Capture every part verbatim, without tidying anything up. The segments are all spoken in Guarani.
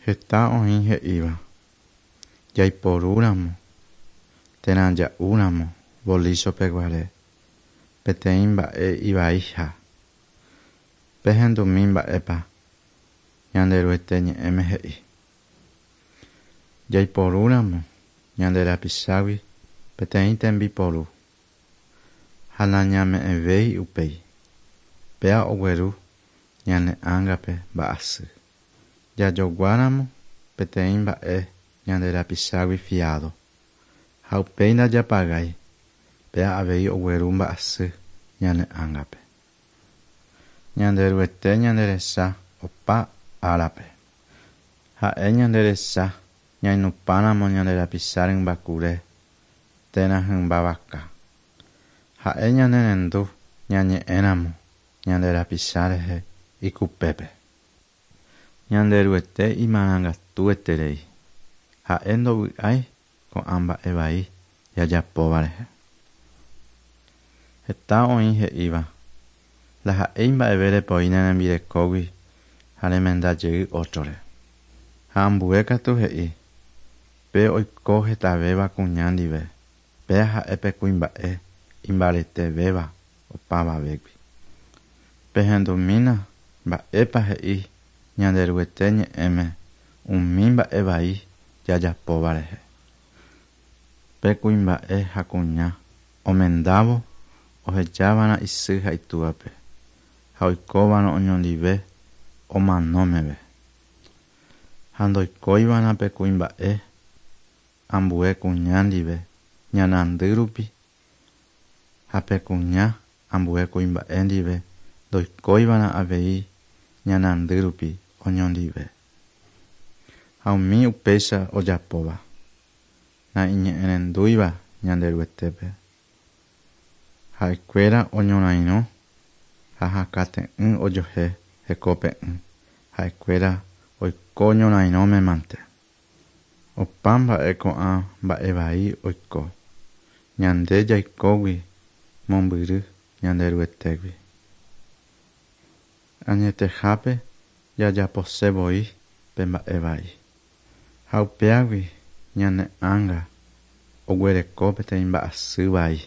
Heta oĩ he'íva jaiporúramo térã ja'úramo volíchope guare peteĩ mba'e ivaiha. Pehendumi mba'épa Ñanderuete ñe'ẽme he'i. Jaiporúramo ñande rapichágui peteĩ tembiporu ha nañame'ẽvéi upéi, péa ogueru ñane ángape mba'asy. Jajoguáramo peteĩ mba'e ñande rapichágui fiado ha upéi ndajapagái, péa avei ogueru mba'asy ñane ángape. Ñanderuete ñanderecha opa árape. Ha'e ñanderecha ñainupãramo ñande rapicha rymbakure térã hymba vaka. Ha'e ñanerendu ñañe'ẽramo ñande rapicha rehe ikupépe. Ñanderuete imarangatueterei. Ha'e ndovy'ái ko'ã mba'e vai jajapóva rehe. Heta oĩ he'íva ndaha'éi mba'eve repoi ne rembirekógui ha remenda jey ótrore. Ha ambue katu he'i pe oiko hetavéva kuña ndive, péa ha'e pe kuimba'e imbaretevéva opavavégui. Pehendumína mba'épa he'i Ñanderuete ñe'ẽme umi mba'e vai jajapóva rehe. Pe kuimba'e ha kuña omendávo ohejava'erã isy ha itúvape ha oikóva'erã oñondive omano meve. Ha ndoikóiva'erã pe kuimba'e ambue kuña ndive ñanandy rupi ha pe kuña ambue kuimba'e ndive ndoikóiva'erã avei ñanandy rupi oñondive. Ha umi upéicha ojapóva naiñe'ẽrendúiva Ñanderuetépe. Ha'ekuéra oñorairõ ha hakate'ỹ ojohe hekópe'ỹ. Ha'ekuéra oiko ñorairõme mante. Opa mba'e ko'ã mba'e vai oiko ñande jaikógui mombyry Ñanderuetégui. Añetehápe jajaposevoi pe mba'e vai. Ha upéagui ñane ánga oguereko peteĩ mba'asy vai.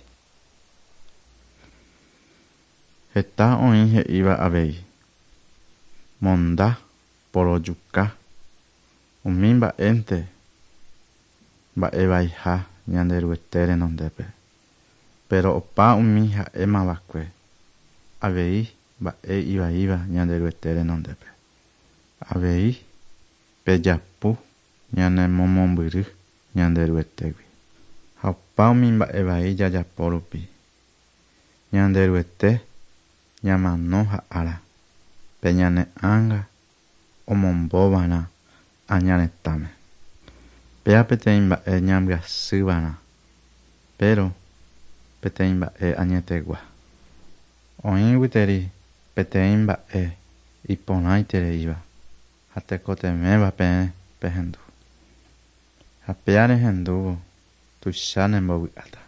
Heta oĩ he'íva avei monda porojuka umi mba'énte mba'e vaiha Ñanderuete renondépe. Pero opa umi ha'émava'ekue avei mba'e ivaíva Ñanderuete renondépe. Avei pejapu ñanemomombyry Ñanderuetégui. Ha opa umi mba'e vai jajapo rupi. Ñanderuete ñamano ha'ára pe ñane ánga omombóva'erã añaretãme. Péa peteĩ mba'e ñambyasýva'erã, pero peteĩ mba'e añetegua. Oĩguiteri peteĩ mba'e iporãitereíva ha tekotevẽva peẽ pehendu. Ha péa rehendúvo tuicha nembovy'áta.